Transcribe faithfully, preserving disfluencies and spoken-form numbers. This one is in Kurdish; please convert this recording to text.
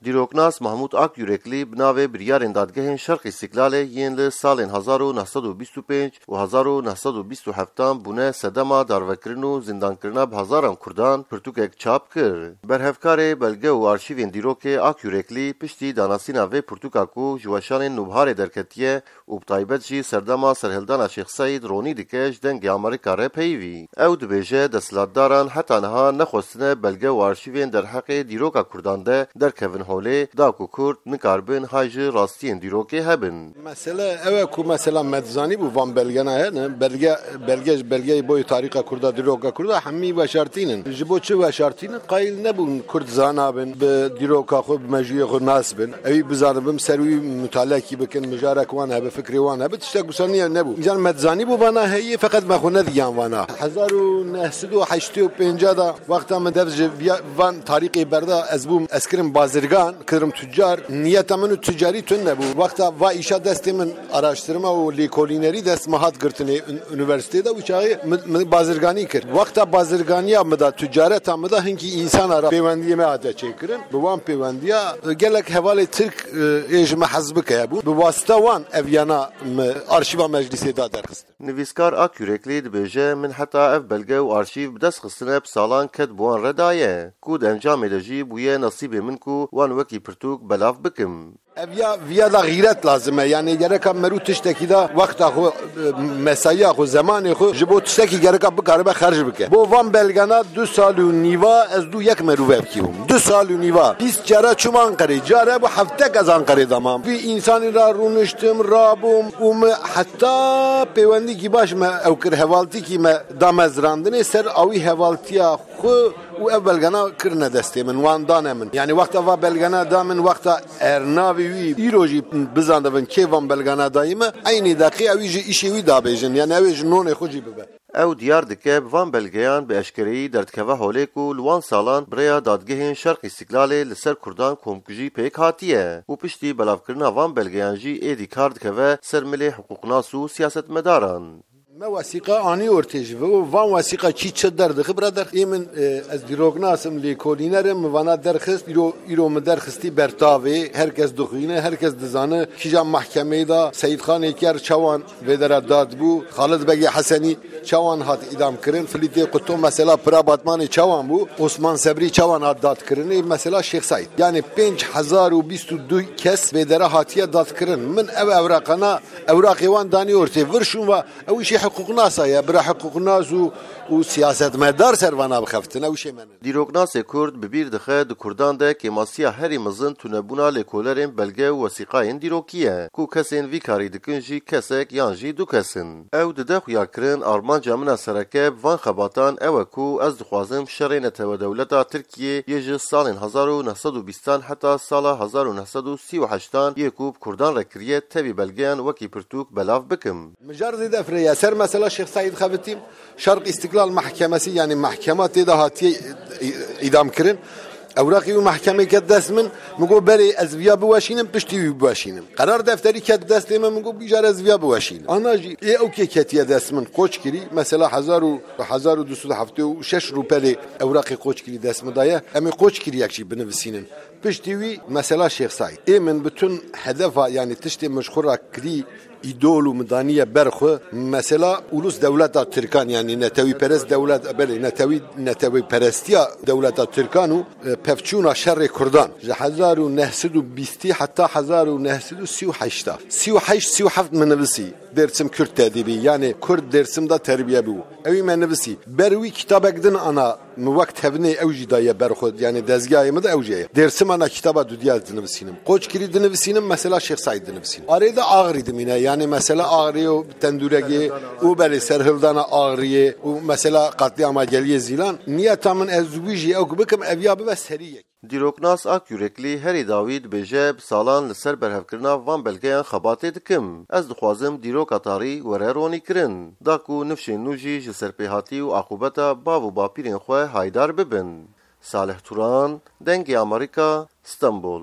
Dîroknas Mahmûd Akyûreklî bi navê biryarên dadgehên Şerq Îstîklalê yên li salên hezar û neh sed û bîst û pênc û hezar û neh sed û bîst û heftan bûne sedema darvekirin û zindankirina bi hezaran Kurdan pirtûkek çap kir. Berhevkarê belge û arşîvên dîrokê Akyûreklî piştî danasîna vê pirtûka ku ji weşanên Nûbharê derketiye, û bi taybet jî serdema serhildana Şêx Seîd ronî dike ji Dengê Amerîka re peyivî. Ew dibêje, desthilatdaran heta niha nexwestine belge û arşîvên derheqê dîroka Kurdan de derkevin holê, da ku Kurd nikaribin hay ji rastiyên dîrokê hebin. Mesele ew e ku mesela me dizanîbû van belgena hene, belge, belge, belgeyê boyê tarîxa Kurda, dîroka Kurda hemî veşartînin. Ji bo çi veşartînin? Qayîl nebûn Kurd zana bin, bi dîroka xwe, bi mejûyê xwe nas bin. Ewî bizanibin, ser wî mutalekî bikin, mijarek wan hebe, fikrê wan hebe, tiştek wisa niye nebû. Îcar me dizanî bû vana heye, feqet me xwe nedigiyan vana. Hezar û neh sed û heştê û pênc da wexta min dev ji viya-, van tarîxê berda, ez bûm, ez kirim bazirgan, kirim tucar. Niyeta min û tucarî tune nebû. Wexta va îşa destê min, araştirma û lêkolînerî dest me hat girtinê ün-, unîversîtê de, wî çaxê min, min bazirganî kir. Wexta bazirganiya min de, tucareta min de hinkî însana re pêwendiyê me hate çêkirin. Bi wan pêwendiya, e, gelek hevalê Tirk, e, ê ji me hez bike hebûn. Bi wasita wan ev yana me arşîva meclîsê da derxistin. Nivîskar Akyûreklî dibêje, min heta ev belge û arşîv bi dest xistine bi salan ket bi wan re daye, ku di encamê de jî bûye nesîbê min ku wan wekî pirtûk belav bikim. Ev ya, viya da xîret lazim e. Yani gereka merû tiştekî da wexta xwe, e, mesaiya xwe, zemanê xwe ji bo tiştekî gereka bikaribe xerc bike. Bo van belgena du sal û nîva ez dû yek merûvekî bûm. Du sal û nîva. Bîst cara çûm Anqerê. Care bû heftek ez Anqerê de mam. Vî însanî ra rûniştim, rabûm û me heta pêwendîkî baş me ew kir, hevaltîkî me da mezrandinê ser awî hevaltiya xwe û ev belgena kirine destê min, wan dane min. Yani wexta va belgena da min, wexta ernavê wî îro jî bizandibin kê van belgena dayî me, eynî deqî ew jî îşê wî dabêjin. Yani ew ê ji nonê xwe jî bibe. Ew diyar dike, bi van belgeyan bi eşkereyî derdikeve holê ku li wan salan bi rêya dadgehên Şerq Îstîklalê li ser Kurdan komkujî pêk hatiye û piştî belavkirina van belgeyan jî êdî kar dikeve ser milê hiqûqnas û siyasetmedaran. Me wesîqa anî ortê ji vê û van wesîqa kî çi derdixe bira derx. Ê min, e, ez dîroknas im, lêkolîner im, min vana derxist, îro, îro min derxistî bertavê, her kes dixwîne, her kes dizane, kîjan mehkemeyê da Seyîdxanê Ker çawan vê dera dad bû, Xalid Begê Hesenî çawan hat îdam kirin, Filîtê Quto mesela Pira Batmanê çawan bû, Osman Sebrî çawan hat dad kirinê, mesela Şêx Seîd. Yani pênc hezar û bîst û du kes vê dera hatiye dad kirin. Min ev ewraqana, ewraqê wan danî ortê vir şûn va, ew îşê hiqûqnasa ye, bira hiqûqnas û, û siyasetmedar ser vana bixeftin, ew îşê me ne. Dîroknasê Kurd bi bîr dixe, di Kurdan de kêmasiya herî mezin tunebûna lêkolerên belge û wesîqayên dîrokî ye, ku kesên vî karî dikin jî kesek yan jî du kes in. Ew dide xuyakirin, armanca min a sereke bi van xebatan ew e ku ez dixwazim şerê netewe dewleta Tirkiyê yê ji salên hezar û neh sed û bîstan heta sala hezar û neh sed û sî û heştan yê ku bi Kurdan re kiriye tevî belgeyan wekî pirtûk belav bikim. Mijar zêde firê ye. Ser mesela Şêx Seîd xebitîm, Şerq Îstiklal Mehkemesi, yani mehkema tê de hatiye î-, îdam kirin. Ewraqî wî mehkemê ket dest min, min got, berê ez viya biweşînim, piştî wî biweşînim. Qerar defterî ket destê min, min got, bîjar ez viya biweşînim. Ana jî ê ew kê ketiye dest min, qoç kirî, mesela hezar û, hezar û du sed û heftê û şeş rûpelê ewraqê qoç kirî dest min daye. Em ê qoç kirîyek jî binivisînin. Piştî wî mesela Şêx Seîd. Ê min bütün hedefa, yani tiştê min ji xwe re kirî, îdol û min daniye ber xwe. Mesela ulus dewleta Tirkan, yani netewîperest dewlet, belê, netewî, netewîperestiya dewleta Tirkan û, e, pevçûna şerê Kurdan. Ji hezar û neh sed û bîstî heta hezar û neh sed û sî û heşta. Sî û heşt, sî û heft min nivisî. Dêrsim Kurd Edîbî, yani Kurd Dêrsim de terbiye bû. Ewî me nivisî. Ber wî kitabek din ana min wek tevnê ew jî daye ber xwe, yani dezgahê min de ew jî heye. Dêrsim ana kitaba dudiya dinivisînim. Qoçkirî dinivisînim, mesela Şêx Seîd dinivisînim. Arê de Axrî dimîne, yani mesela Axrî û Tendûregê û belê serhildana Axriyê û mesela qetlîama Geliyê Zîlan. Niyeta min ez wî jî ew bikim, ev ya bibe serî yek. Dîroknas Ak Yürekli herî dawî dibêje, bi salan li ser berhevkirina van belgeyan xebatê dikim. Ez dixwazim dîroka tarî were ronîkirin. Da ku nifşên nû jî ji serpêhatî û aqûbeta bav û bapîrên xwe haydar bibin. Salih Turan, Dengê Amerîka, Stenbol.